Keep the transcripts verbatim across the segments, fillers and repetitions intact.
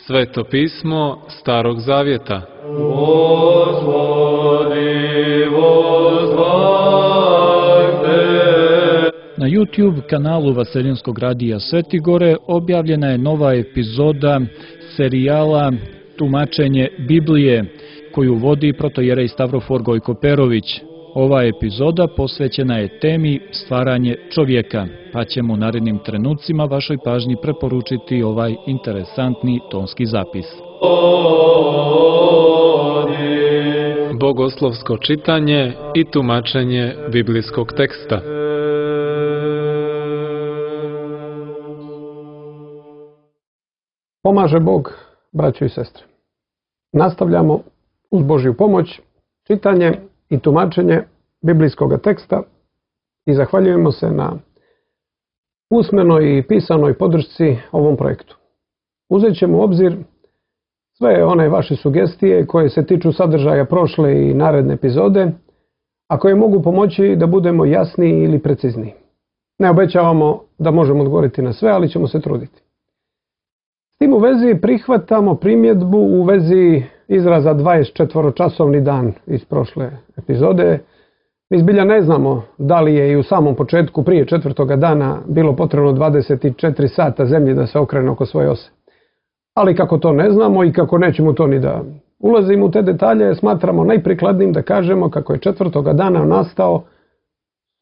Sveto pismo Starog Zavjeta. Na YouTube kanalu Vaseljenskog radija Svetigore objavljena je nova epizoda serijala Tumačenje Biblije, koju vodi protojerej Stavrofor Gojko Perović. Ova epizoda posvećena je temi stvaranje čovjeka, pa ćemo u narednim trenucima vašoj pažnji preporučiti ovaj interesantni tonski zapis. Bogoslovsko čitanje i tumačenje biblijskog teksta. Pomaže Bog, braćo i sestre. Nastavljamo uz Božju pomoć čitanje i tumačenje biblijskog teksta i zahvaljujemo se na usmenoj i pisanoj podršci ovom projektu. Uzet ćemo u obzir sve one vaše sugestije koje se tiču sadržaja prošle i naredne epizode, a koje mogu pomoći da budemo jasniji ili precizniji. Ne obećavamo da možemo odgovoriti na sve, ali ćemo se truditi. S tim u vezi prihvatamo primjedbu u vezi izraza dvadesetčetvoročasovni dan iz prošle epizode. Mi zbilja ne znamo da li je i u samom početku prije četvrtoga dana bilo potrebno dvadeset četiri sata zemlji da se okrene oko svoje ose. Ali kako to ne znamo i kako nećemo to ni da ulazimo u te detalje, smatramo najprikladnijim da kažemo kako je četvrtoga dana nastao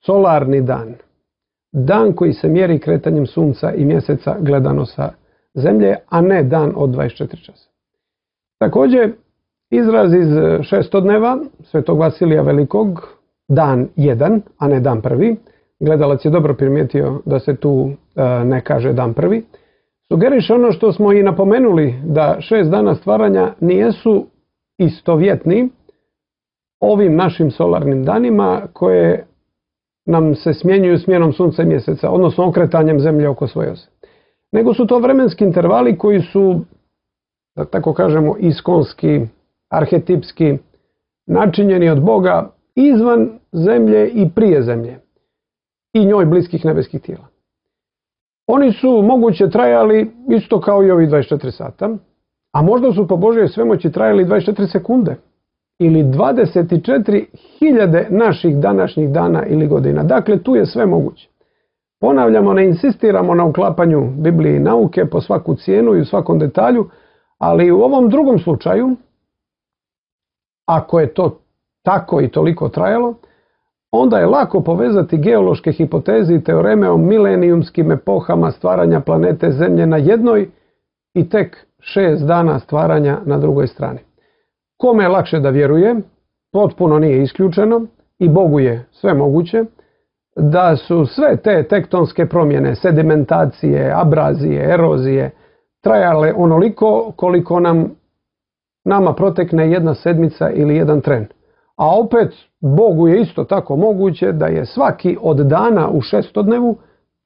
solarni dan. Dan koji se mjeri kretanjem sunca i mjeseca gledano sa zemlje, a ne dan od dvadeset četiri časa. Također, izraz iz šestodneva Svetog Vasilija Velikog, dan jedan, a ne dan prvi, gledalac je dobro primijetio da se tu e, ne kaže dan prvi, sugeriše ono što smo i napomenuli, da šest dana stvaranja nijesu istovjetni ovim našim solarnim danima koje nam se smjenjuju smjenom sunca i mjeseca, odnosno okretanjem zemlje oko svoje ose. Nego su to vremenski intervali koji su, da tako kažemo, iskonski, arhetipski, načinjeni od Boga izvan zemlje i prije zemlje i njoj bliskih nebeskih tijela. Oni su moguće trajali isto kao i ovi dvadeset četiri sata, a možda su po Božjoj svemoći trajali dvadeset četiri sekunde ili dvadeset četiri hiljade naših današnjih dana ili godina. Dakle, tu je sve moguće. Ponavljamo, ne insistiramo na uklapanju Biblije i nauke po svaku cijenu i u svakom detalju, ali u ovom drugom slučaju, ako je to tako i toliko trajalo, onda je lako povezati geološke hipoteze i teoreme o milenijumskim epohama stvaranja planete Zemlje na jednoj i tek šest dana stvaranja na drugoj strani. Kome je lakše da vjeruje, potpuno nije isključeno i Bogu je sve moguće, da su sve te tektonske promjene, sedimentacije, abrazije, erozije trajale onoliko koliko nam nama protekne jedna sedmica ili jedan tren. A opet Bogu je isto tako moguće da je svaki od dana u šestodnevu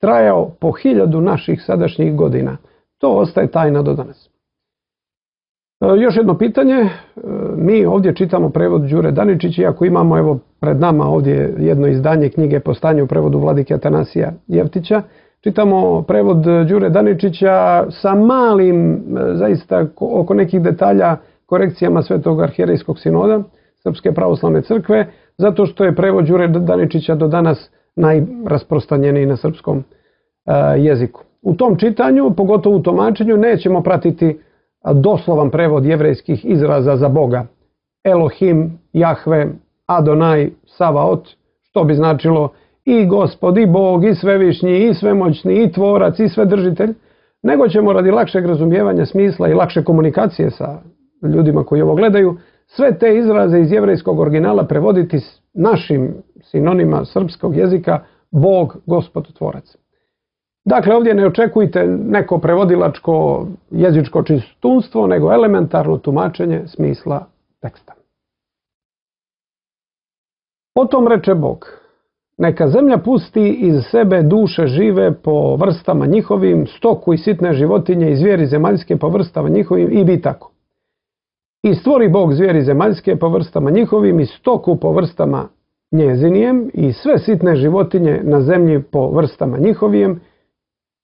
trajao po hiljadu naših sadašnjih godina. To ostaje tajna do danas. Još jedno pitanje, mi ovdje čitamo prevod Đure Daničića, iako imamo evo pred nama ovdje jedno izdanje knjige po stanju u prevodu vladike Atanasija Jevtića. Čitamo prevod Đure Daničića sa malim, zaista oko nekih detalja, korekcijama Svetog arhijerejskog sinoda Srpske pravoslavne crkve, zato što je prevod Đure Daničića do danas najrasprostranjeniji na srpskom jeziku. U tom čitanju, pogotovo u tumačenju, nećemo pratiti doslovan prevod jevrejskih izraza za Boga. Elohim, Jahve, Adonai, Savaot, što bi značilo i Gospod, i Bog, i Svevišnji, i Svemoćni, i Tvorac, i Svedržitelj, nego ćemo radi lakšeg razumijevanja smisla i lakše komunikacije sa ljudima koji ovo gledaju, sve te izraze iz jevrejskog originala prevoditi našim sinonima srpskog jezika Bog, Gospod, Tvorac. Dakle, ovdje ne očekujte neko prevodilačko jezičko čistunstvo, nego elementarno tumačenje smisla teksta. Potom reče Bog, neka zemlja pusti iz sebe duše žive po vrstama njihovim, stoku i sitne životinje i zvijeri zemaljske po vrstama njihovim i bi tako. I stvori Bog zvijeri zemaljske po vrstama njihovim i stoku po vrstama njezinijem i sve sitne životinje na zemlji po vrstama njihovijem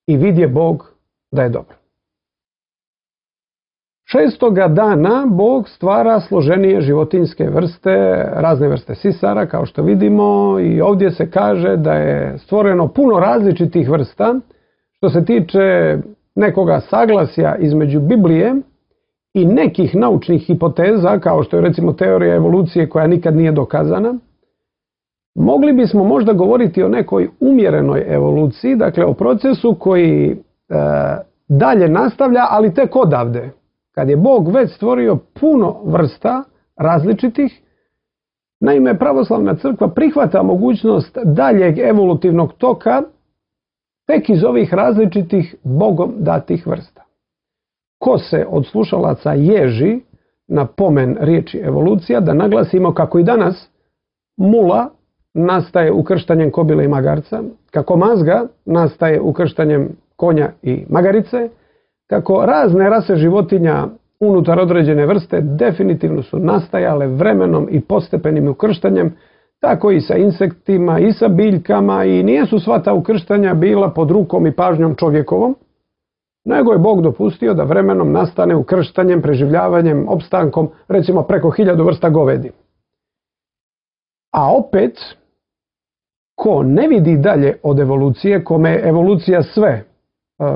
i vidje Bog da je dobro. Šestoga dana Bog stvara složenije životinjske vrste, razne vrste sisara, kao što vidimo, i ovdje se kaže da je stvoreno puno različitih vrsta. Što se tiče nekoga saglasja između Biblije i nekih naučnih hipoteza, kao što je recimo teorija evolucije koja nikad nije dokazana, mogli bismo možda govoriti o nekoj umjerenoj evoluciji, dakle o procesu koji e, dalje nastavlja, ali tek odavde. Kad je Bog već stvorio puno vrsta različitih, naime pravoslavna crkva prihvata mogućnost daljeg evolutivnog toka tek iz ovih različitih Bogom datih vrsta. Ko se od slušalaca ježi na pomen riječi evolucija, da naglasimo kako i danas mula nastaje ukrštanjem kobile i magarca, kako mazga nastaje ukrštanjem konja i magarice, kako razne rase životinja unutar određene vrste definitivno su nastajale vremenom i postepenim ukrštanjem, tako i sa insektima i sa biljkama, i nijesu sva ta ukrštanja bila pod rukom i pažnjom čovjekovom, nego je Bog dopustio da vremenom nastane ukrštanjem, preživljavanjem, opstankom, recimo preko hiljadu vrsta govedi. A opet, ko ne vidi dalje od evolucije, kome je evolucija sve,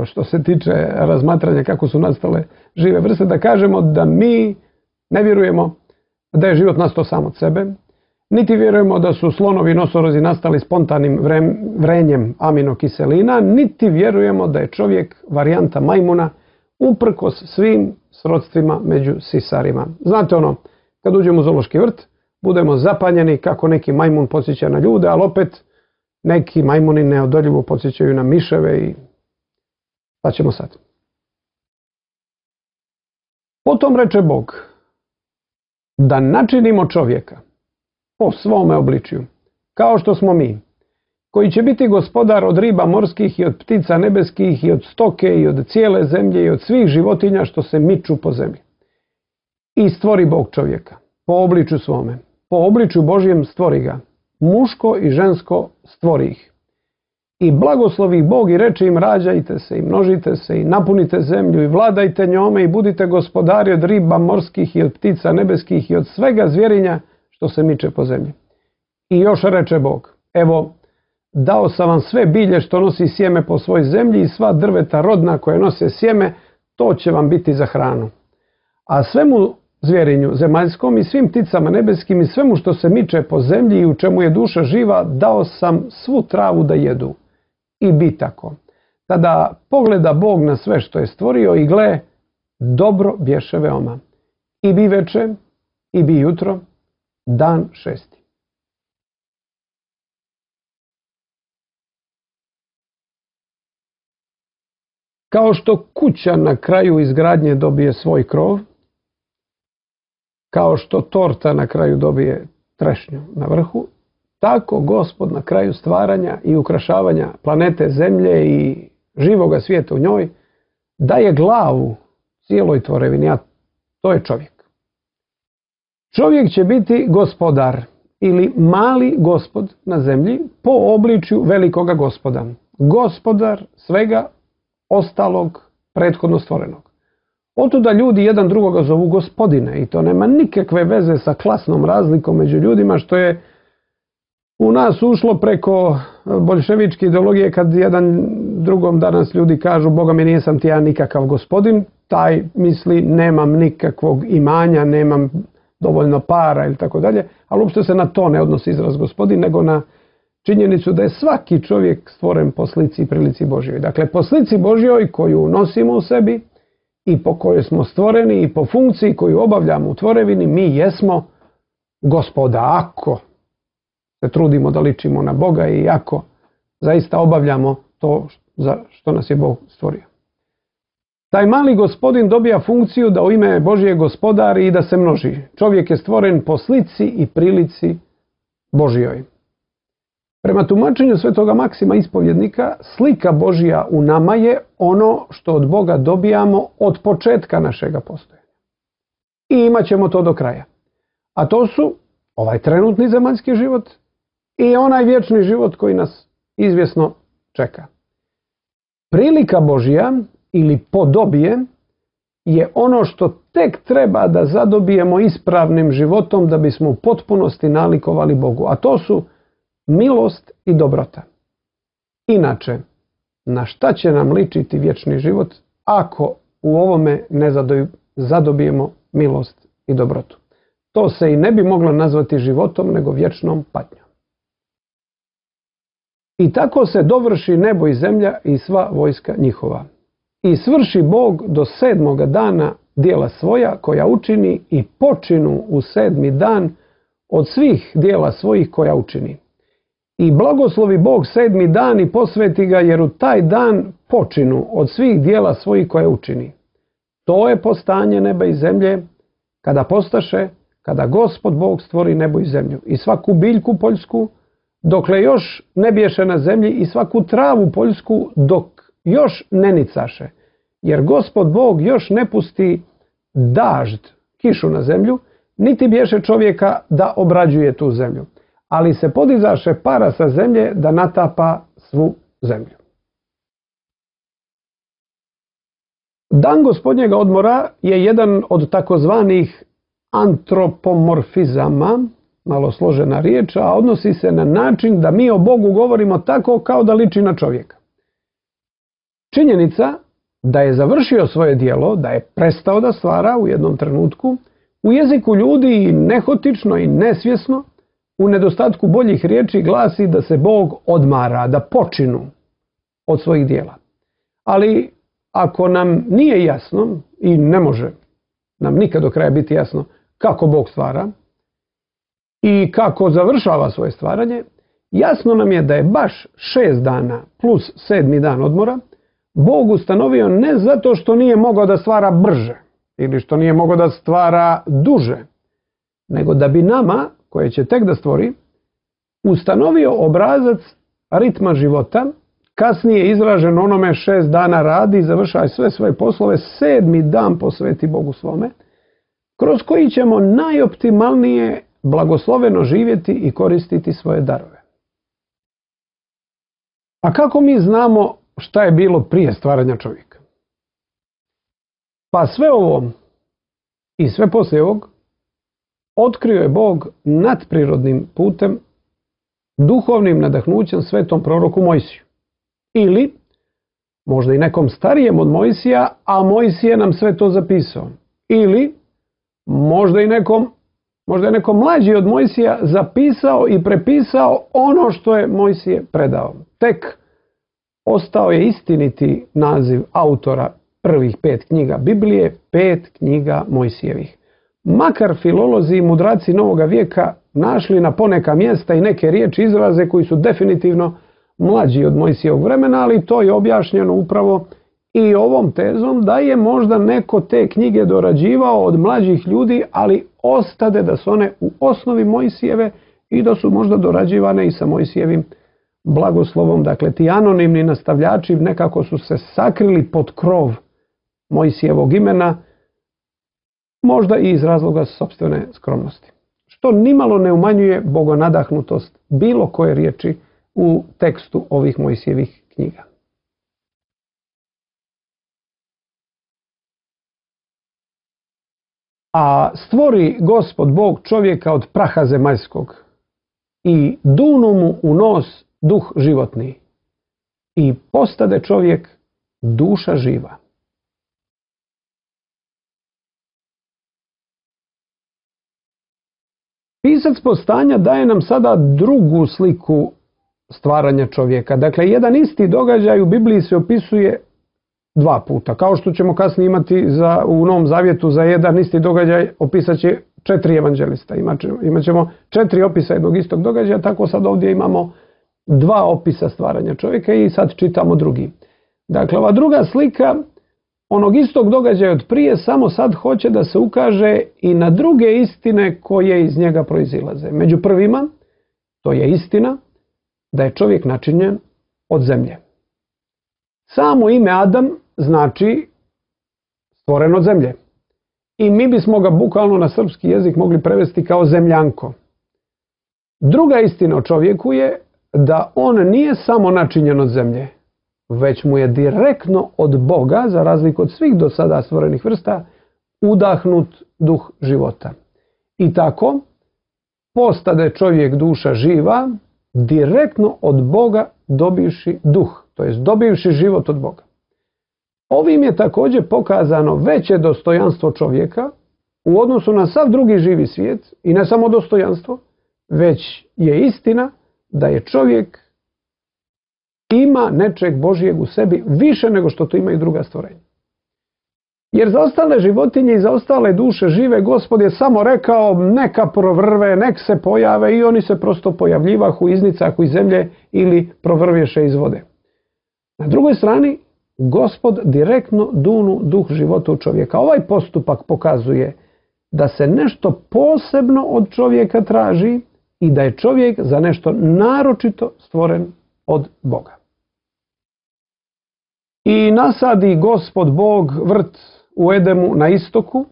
što se tiče razmatranja kako su nastale žive vrste, da kažemo da mi ne vjerujemo da je život nastao sam od sebe, niti vjerujemo da su slonovi i nosorozi nastali spontanim vrenjem aminokiselina, niti vjerujemo da je čovjek varijanta majmuna uprkos svim srodstvima među sisarima. Znate ono, kad uđemo u zoološki vrt, budemo zapanjeni kako neki majmun podsjeća na ljude, ali opet neki majmuni neodoljivo podsjećaju na miševe i pa ćemo sad. Potom reče Bog da načinimo čovjeka po svome obličju, kao što smo mi, koji će biti gospodar od riba morskih i od ptica nebeskih i od stoke i od cijele zemlje i od svih životinja što se miču po zemlji. I stvori Bog čovjeka po obličju svome, po obličju Božjem stvori ga, muško i žensko stvori ih. I blagoslovi Bog i reče im: rađajte se i množite se i napunite zemlju i vladajte njome i budite gospodari od riba morskih i od ptica nebeskih i od svega zvjerinja što se miče po zemlji. I još reče Bog: evo, dao sam vam sve bilje što nosi sjeme po svoj zemlji i sva drveta rodna koje nose sjeme, to će vam biti za hranu. A svemu zvjerinju zemaljskom i svim pticama nebeskim i svemu što se miče po zemlji i u čemu je duša živa, dao sam svu travu da jedu. I bi tako. Tada pogleda Bog na sve što je stvorio i gle, dobro bješe veoma. I bi veče, i bi jutro, dan šesti. Kao što kuća na kraju izgradnje dobije svoj krov, kao što torta na kraju dobije trešnju na vrhu, tako Gospod na kraju stvaranja i ukrašavanja planete Zemlje i živoga svijeta u njoj daje glavu cijeloj tvorevini, a to je čovjek. Čovjek će biti gospodar ili mali gospod na zemlji po obličju velikoga gospoda. Gospodar svega ostalog prethodno stvorenog. Otuda ljudi jedan drugoga zovu gospodine i to nema nikakve veze sa klasnom razlikom među ljudima, što je u nas ušlo preko boljševičke ideologije, kad jedan drugom danas ljudi kažu: Boga mi, nisam ti ja nikakav gospodin, taj misli nemam nikakvog imanja, nemam dovoljno para ili tako dalje, ali uopšte se na to ne odnosi izraz gospodin, nego na činjenicu da je svaki čovjek stvoren po slici i prilici Božjoj. Dakle, po slici Božjoj koju nosimo u sebi i po kojoj smo stvoreni i po funkciji koju obavljamo u tvorevini, mi jesmo gospoda, ako se trudimo da ličimo na Boga i ako zaista obavljamo to za što nas je Bog stvorio. Taj mali gospodin dobija funkciju da u ime Božje gospodari i da se množi. Čovjek je stvoren po slici i prilici Božjoj. Prema tumačenju svetoga Maksima ispovjednika, slika Božja u nama je ono što od Boga dobijamo od početka našega postojanja. I imat ćemo to do kraja. A to su ovaj trenutni zemaljski život i onaj vječni život koji nas izvjesno čeka. Prilika Božja ili podobije je ono što tek treba da zadobijemo ispravnim životom da bismo u potpunosti nalikovali Bogu, a to su milost i dobrota. Inače, na šta će nam ličiti vječni život ako u ovome ne zadobijemo milost i dobrotu? To se i ne bi moglo nazvati životom, nego vječnom patnjom. I tako se dovrši nebo i zemlja i sva vojska njihova. I svrši Bog do sedmoga dana dijela svoja koja učini i počinu u sedmi dan od svih dijela svojih koja učini. I blagoslovi Bog sedmi dan i posveti ga, jer u taj dan počinu od svih dijela svojih koje učini. To je postanje neba i zemlje, kada postaše, kada Gospod Bog stvori nebo i zemlju i svaku biljku poljsku, dokle još ne biješe na zemlji, i svaku travu poljsku dok još ne nicaše. Jer Gospod Bog još ne pusti dažd, kišu na zemlju, niti biješe čovjeka da obrađuje tu zemlju. Ali se podizaše para sa zemlje da natapa svu zemlju. Dan Gospodnjega odmora je jedan od takozvanih antropomorfizama, malo složena riječ, a odnosi se na način da mi o Bogu govorimo tako kao da liči na čovjeka. Činjenica da je završio svoje djelo, da je prestao da stvara u jednom trenutku, u jeziku ljudi i nehotično i nesvjesno, u nedostatku boljih riječi, glasi da se Bog odmara, da počinu od svojih djela. Ali ako nam nije jasno, i ne može nam nikad do kraja biti jasno kako Bog stvara i kako završava svoje stvaranje, jasno nam je da je baš šest dana plus sedmi dan odmora Bog ustanovio ne zato što nije mogao da stvara brže ili što nije mogao da stvara duže, nego da bi nama, koje će tek da stvori, ustanovio obrazac ritma života, kasnije izražen onome šest dana radi i završaj sve svoje poslove, sedmi dan posveti Bogu svome, kroz koji ćemo najoptimalnije blagosloveno živjeti i koristiti svoje darove. A kako mi znamo šta je bilo prije stvaranja čovjeka? Pa sve ovo i sve poslije ovog otkrio je Bog nadprirodnim putem, duhovnim nadahnućem svetom proroku Mojsiju. Ili možda i nekom starijem od Mojsija, a Mojsije nam sve to zapisao. Ili možda i nekom, možda je nekom mlađi od Mojsija zapisao i prepisao ono što je Mojsije predao. Tek ostao je istiniti naziv autora prvih pet knjiga Biblije, pet knjiga Mojsijevih. Makar filolozi i mudraci novoga vijeka našli na poneka mjesta i neke riječi, izraze koji su definitivno mlađi od Mojsijevog vremena, ali to je objašnjeno upravo i ovom tezom da je možda neko te knjige dorađivao od mlađih ljudi, ali ostade da su one u osnovi Mojsijeve i da su možda dorađivane i sa Mojsijevim blagoslovom. Dakle, ti anonimni nastavljači nekako su se sakrili pod krov Mojsijevog imena, možda i iz razloga sopstvene skromnosti. Što nimalo ne umanjuje bogonadahnutost bilo koje riječi u tekstu ovih Mojsijevih knjiga. A stvori Gospod Bog čovjeka od praha zemaljskog i dunu mu u nos duh životni i postade čovjek duša živa. Pisac Postanja daje nam sada drugu sliku stvaranja čovjeka. Dakle, jedan isti događaj u Bibliji se opisuje dva puta. Kao što ćemo kasnije imati za, u Novom Zavjetu za jedan isti događaj opisat će četiri evanđelista. Imat ćemo četiri opisa jednog istog događaja, tako sad ovdje imamo dva opisa stvaranja čovjeka i sad čitamo drugi. Dakle, ova druga slika onog istog događaja od prije samo sad hoće da se ukaže i na druge istine koje iz njega proizilaze. Među prvima, to je istina da je čovjek načinjen od zemlje. Samo ime Adam znači stvoren od zemlje. I mi bismo ga bukvalno na srpski jezik mogli prevesti kao zemljanko. Druga istina o čovjeku je da on nije samo načinjen od zemlje, već mu je direktno od Boga, za razliku od svih do sada stvorenih vrsta, udahnut duh života. I tako postade čovjek duša živa, direktno od Boga dobivši duh, to jest dobivši život od Boga. Ovim je također pokazano veće dostojanstvo čovjeka u odnosu na sav drugi živi svijet, i ne samo dostojanstvo, već je istina da je čovjek ima nečeg Božjeg u sebi više nego što to imaju druga stvorenja. Jer za ostale životinje i za ostale duše žive Gospod je samo rekao neka provrve, nek se pojave, i oni se prosto pojavljivahu, iznicahu iz zemlje ili provrvješe iz vode. Na drugoj strani, Gospod direktno dunu duh života u čovjeka. Ovaj postupak pokazuje da se nešto posebno od čovjeka traži i da je čovjek za nešto naročito stvoren od Boga. I nasadi Gospod Bog vrt u Edemu na istoku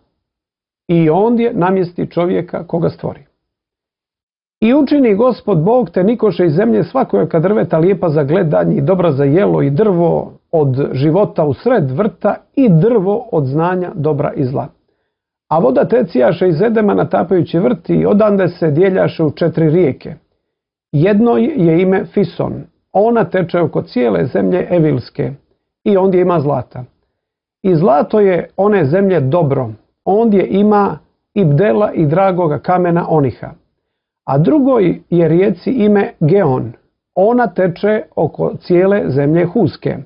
i ondje namjesti čovjeka koga stvori. I učini Gospod Bog te nikoše iz zemlje svakojaka drveta lijepa za gledanje i dobra za jelo i drvo od života u sred vrta i drvo od znanja dobra i zla. A voda tecijaše iz Edema natapajući vrt i odande se dijeljaše u četiri rijeke. Jednoj je ime Fison, ona teče oko cijele zemlje Evilske i ondje ima zlata. I zlato je one zemlje dobro, ondje ima i bdela i dragoga kamena oniha. A drugoj je rijeci ime Geon, ona teče oko cijele zemlje Huske.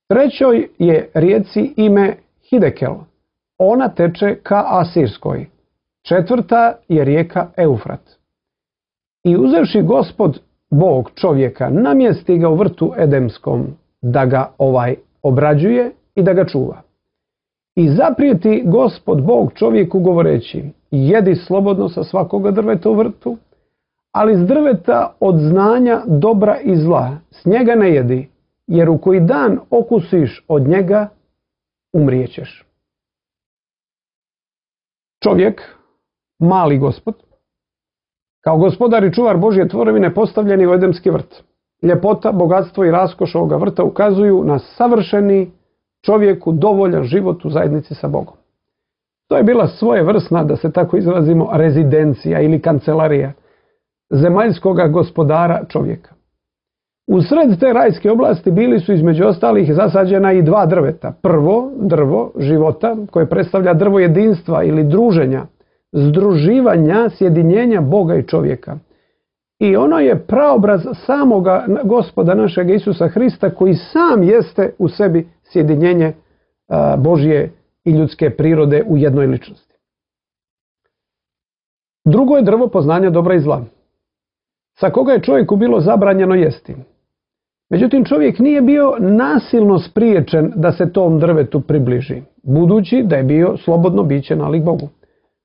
Trećoj je rijeci ime Hidekel, ona teče ka Asirskoj. Četvrta je rijeka Eufrat. I uzevši Gospod Bog čovjeka, namjesti ga u vrtu Edemskom, da ga ovaj obrađuje i da ga čuva. I zaprijeti Gospod Bog čovjeku govoreći, jedi slobodno sa svakoga drveta u vrtu, ali s drveta od znanja dobra i zla s njega ne jedi, jer u koji dan okusiš od njega, umrijećeš. Čovjek, mali Gospod, kao gospodar i čuvar Božje tvorevine postavljeni u Edemski vrt. Ljepota, bogatstvo i raskoš ovoga vrta ukazuju na savršeni čovjeku dovoljan život u zajednici sa Bogom. To je bila svojevrsna, da se tako izrazimo, rezidencija ili kancelarija zemaljskoga gospodara čovjeka. U sred te rajske oblasti bili su između ostalih zasađena i dva drveta. Prvo drvo života, koje predstavlja drvo jedinstva ili druženja, združivanja, sjedinjenja Boga i čovjeka. I ono je praobraz samoga Gospoda našeg Isusa Hrista, koji sam jeste u sebi sjedinjenje Božje i ljudske prirode u jednoj ličnosti. Drugo je drvo poznanja dobra i zla, sa koga je čovjeku bilo zabranjeno jesti. Međutim, čovjek nije bio nasilno spriječen da se tom drvetu približi, budući da je bio slobodno biće nalik Bogu.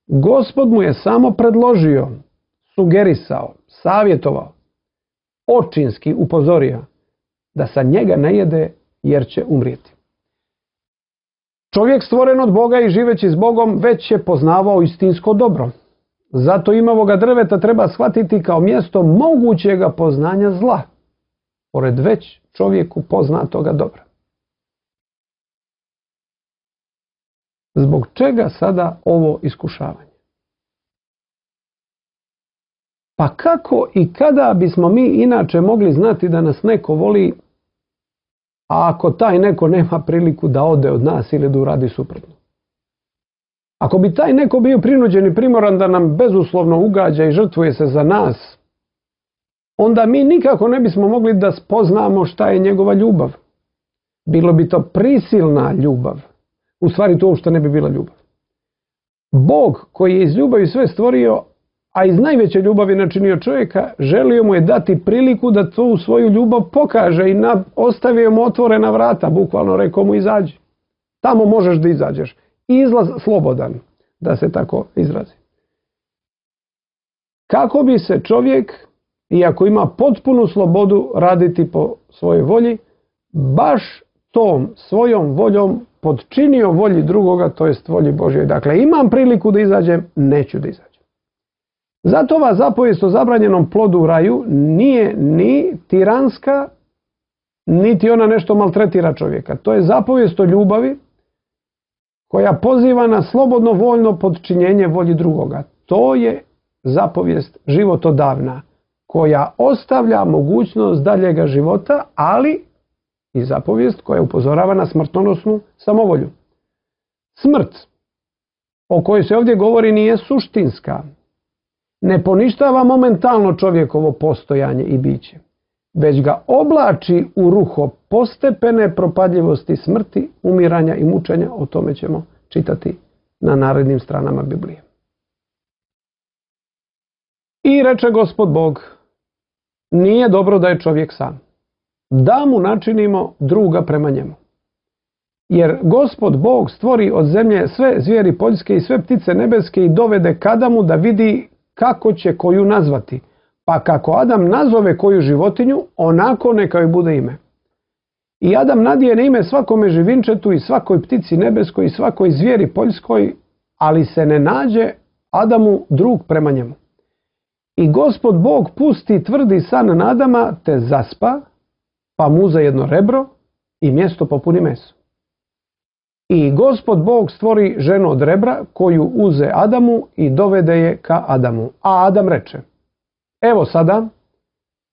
Gospod mu je samo predložio, sugerisao, savjetovao, očinski upozorio da sa njega ne jede jer će umrijeti. Čovjek stvoren od Boga i živeći s Bogom već je poznavao istinsko dobro. Zato imavoga drveta treba shvatiti kao mjesto mogućega poznanja zla, pored već čovjeku poznatoga dobra. Zbog čega sada ovo iskušavanje? Pa kako i kada bismo mi inače mogli znati da nas neko voli, a ako taj neko nema priliku da ode od nas ili da uradi suprotno? Ako bi taj neko bio prinuđen i primoran da nam bezuslovno ugađa i žrtvuje se za nas, onda mi nikako ne bismo mogli da spoznamo šta je njegova ljubav. Bilo bi to prisilna ljubav. U stvari to uopšte ne bi bila ljubav. Bog koji je iz ljubavi sve stvorio, a iz najveće ljubavi načinio čovjeka, želio mu je dati priliku da tu svoju ljubav pokaže i na, ostavio mu otvorena vrata, bukvalno rekao mu izađi. Tamo možeš da izađeš. Izlaz slobodan, da se tako izrazi. Kako bi se čovjek, iako ima potpunu slobodu raditi po svojoj volji, baš tom svojom voljom podčinio volji drugoga, to jest volji Božjoj. Dakle, imam priliku da izađem, neću da izađem. Zato ova zapovijest o zabranjenom plodu u raju nije ni tiranska, niti ona nešto maltretira čovjeka. To je zapovijest o ljubavi koja poziva na slobodno voljno podčinjenje volji drugoga. To je zapovijest životodavna koja ostavlja mogućnost daljega života, ali i zapovijest koja upozorava na smrtonosnu samovolju. Smrt o kojoj se ovdje govori nije suštinska. Ne poništava momentalno čovjekovo postojanje i biće, već ga oblači u ruho postepene propadljivosti smrti, umiranja i mučenja. O tome ćemo čitati na narednim stranama Biblije. I reče Gospod Bog, nije dobro da je čovjek sam, da mu načinimo druga prema njemu. Jer Gospod Bog stvori od zemlje sve zvijeri poljske i sve ptice nebeske i dovede k Adamu da vidi kako će koju nazvati. Pa kako Adam nazove koju životinju, onako neka joj bude ime. I Adam nadijene ime svakome živinčetu i svakoj ptici nebeskoj i svakoj zvijeri poljskoj, ali se ne nađe Adamu drug prema njemu. I Gospod Bog pusti tvrdi san na Adama, te zaspa, pa mu uze jedno rebro i mjesto popuni meso. I Gospod Bog stvori ženu od rebra, koju uze Adamu i dovede je ka Adamu. A Adam reče, evo sada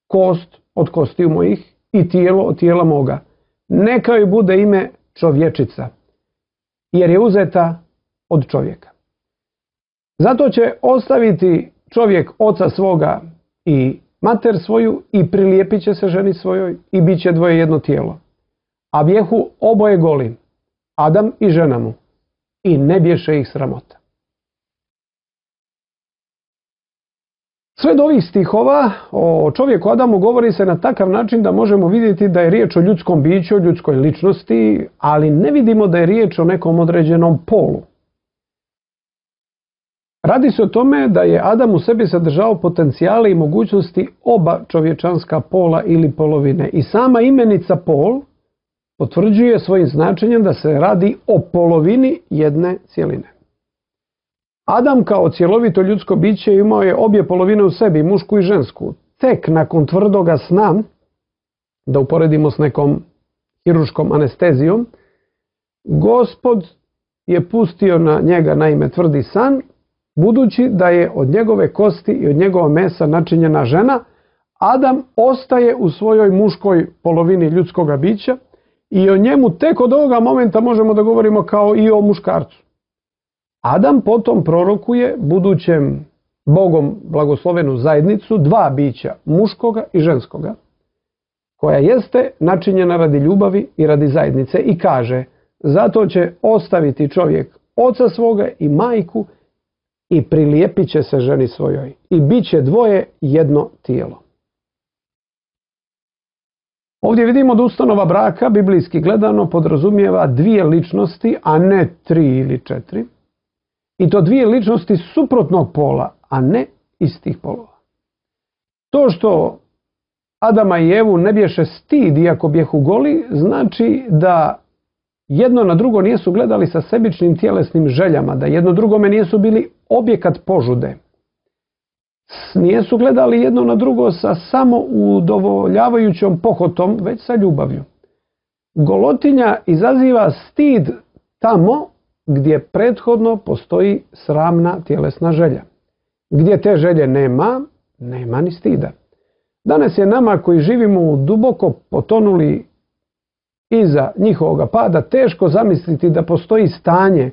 kost od kostiju mojih i tijelo od tijela moga. Neka joj bude ime čovječica, jer je uzeta od čovjeka. Zato će ostaviti čovjek oca svoga i mater svoju i prilijepit će se ženi svojoj i bit će dvoje jedno tijelo. A bjehu oboje goli, Adam i žena mu, i ne bješe ih sramota. Sve do ovih stihova o čovjeku Adamu govori se na takav način da možemo vidjeti da je riječ o ljudskom biću, o ljudskoj ličnosti, ali ne vidimo da je riječ o nekom određenom polu. Radi se o tome da je Adam u sebi sadržao potencijale i mogućnosti oba čovječanska pola ili polovine. I sama imenica pol potvrđuje svojim značenjem da se radi o polovini jedne cjeline. Adam kao cjelovito ljudsko biće imao je obje polovine u sebi, mušku i žensku. Tek nakon tvrdoga sna, da uporedimo s nekom hiruškom anestezijom, Gospod je pustio na njega naime tvrdi san, budući da je od njegove kosti i od njegova mesa načinjena žena, Adam ostaje u svojoj muškoj polovini ljudskoga bića i o njemu tek od ovoga momenta možemo da govorimo kao i o muškarcu. Adam potom prorokuje budućem Bogom blagoslovenu zajednicu dva bića, muškoga i ženskoga, koja jeste načinjena radi ljubavi i radi zajednice i kaže, zato će ostaviti čovjek oca svoga i majku i prilijepit će se ženi svojoj i bit će dvoje jedno tijelo. Ovdje vidimo da ustanova braka, biblijski gledano, podrazumijeva dvije ličnosti, a ne tri ili četiri. I to dvije ličnosti suprotnog pola, a ne istih polova. To što Adama i Evu ne bješe stid iako bjehu goli, znači da jedno na drugo nijesu gledali sa sebičnim tjelesnim željama, da jedno drugome nijesu bili objekat požude. Nijesu gledali jedno na drugo sa samo udovoljavajućom pohotom, već sa ljubavlju. Golotinja izaziva stid tamo gdje prethodno postoji sramna tjelesna želja. Gdje te želje nema, nema ni stida. Danas je nama koji živimo u duboko potonuli iza njihovoga pada teško zamisliti da postoji stanje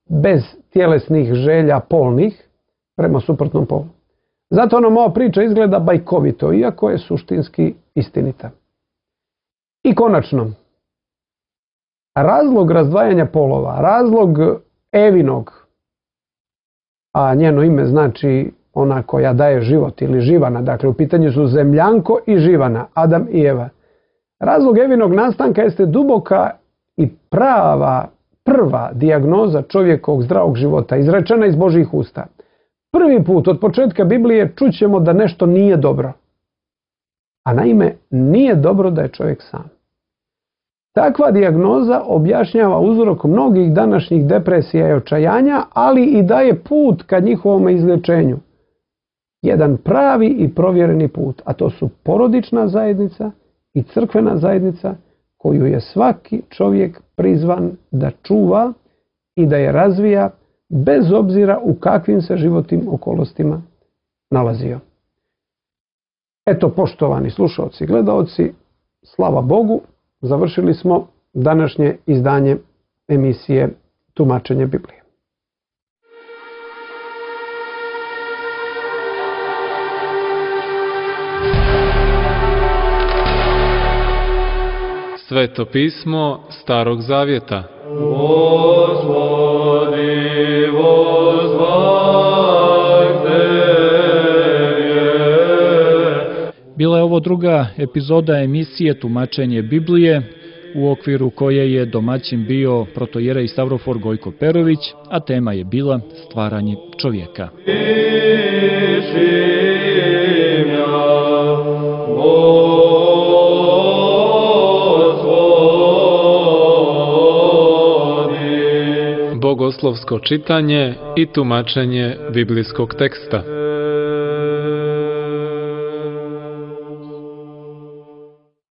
bez tjelesnih želja polnih prema suprotnom polu. Zato nam ova priča izgleda bajkovito, iako je suštinski istinita. I konačno, razlog razdvajanja polova, razlog Evinog, a njeno ime znači ona koja daje život ili živana, dakle u pitanju su zemljanko i živana, Adam i Eva. Razlog Evinog nastanka jeste duboka i prava, prva dijagnoza čovjekovog zdravog života, izrečena iz Božjih usta. Prvi put od početka Biblije čućemo da nešto nije dobro. A naime, nije dobro da je čovjek sam. Takva dijagnoza objašnjava uzrok mnogih današnjih depresija i očajanja, ali i daje put ka njihovom izlječenju. Jedan pravi i provjereni put, a to su porodična zajednica i crkvena zajednica koju je svaki čovjek prizvan da čuva i da je razvija bez obzira u kakvim se životnim okolnostima nalazio. Eto, poštovani slušaoci i gledaoci, slava Bogu, završili smo današnje izdanje emisije Tumačenje Biblije. Sveto pismo Starog Zavjeta. Gospodi, vozvaj Tebe. Bila je ovo druga epizoda emisije Tumačenje Biblije, u okviru koje je domaćin bio protojerej Stavrofor Gojko Perović, a tema je bila stvaranje čovjeka. Bogoslovsko čitanje i tumačenje biblijskog teksta.